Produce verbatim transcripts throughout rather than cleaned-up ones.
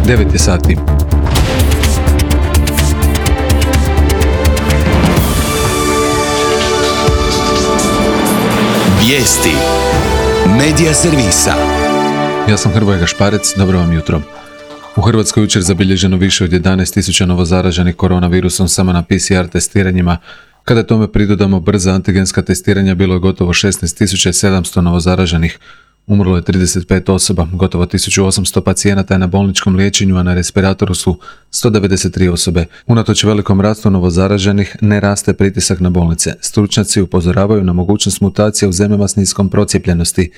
devet je sati. Vijesti Medija servisa. Ja sam Hrvoje Gašparec, dobro vam jutro. U Hrvatskoj jučer zabilježeno više od jedanaest tisuća novozaraženih koronavirusom samo na P C R testiranjima. Kada tome pridodamo brza antigenska testiranja, bilo je gotovo šesnaest tisuća sedamsto novozaraženih. Umrlo je trideset pet osoba, gotovo tisuću osamsto pacijenata je na bolničkom liječenju, a na respiratoru su sto devedeset tri osobe. Unatoč velikom rastu novozaraženih, ne raste pritisak na bolnice. Stručnjaci upozoravaju na mogućnost mutacija u zemljama s niskom procijepljenosti.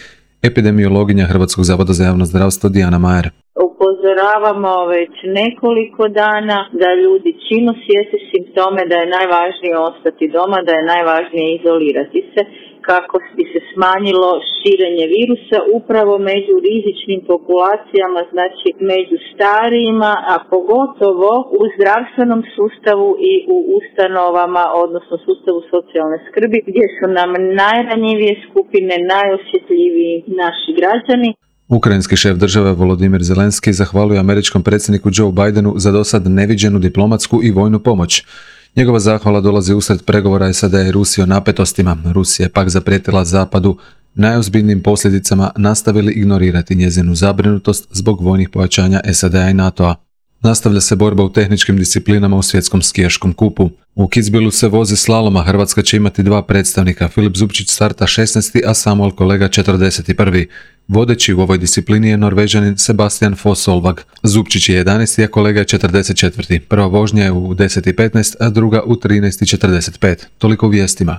Epidemiologinja Hrvatskog zavoda za javno zdravstvo Dijana Majer. Upozoravamo već nekoliko dana da ljudi čim osjete simptome da je najvažnije ostati doma, da je najvažnije izolirati se kako bi se smanjilo širenje virusa upravo među rizičnim populacijama, znači među starijima, a pogotovo u zdravstvenom sustavu i u ustanovama, odnosno sustavu socijalne skrbi, gdje su nam najranjivije skupine, najosjetljiviji naši građani. Ukrajinski šef države Volodimir Zelenski zahvalio američkom predsjedniku Joe Bidenu za dosad neviđenu diplomatsku i vojnu pomoć. Njegova zahvala dolazi usred pregovora S A D i Rusije o napetostima. Rusija je pak zaprijetila Zapadu najozbiljnijim posljedicama, nastavili ignorirati njezinu zabrinutost zbog vojnih pojačanja S A D-a i NATO-a. Nastavlja se borba u tehničkim disciplinama u svjetskom skijaškom kupu. U Kitzbühelu se vozi slaloma, Hrvatska će imati dva predstavnika. Filip Zupčić starta šesnaesti, a Samuel Kolega četrdeset prvi. Vodeći u ovoj disciplini je Norvežanin Sebastian Foss-Solvang. Zupčić je jedanaesti, a Kolega je četrdeset četvrti. Prva vožnja je u deset i petnaest, a druga u trinaest i četrdeset pet. Toliko u vijestima.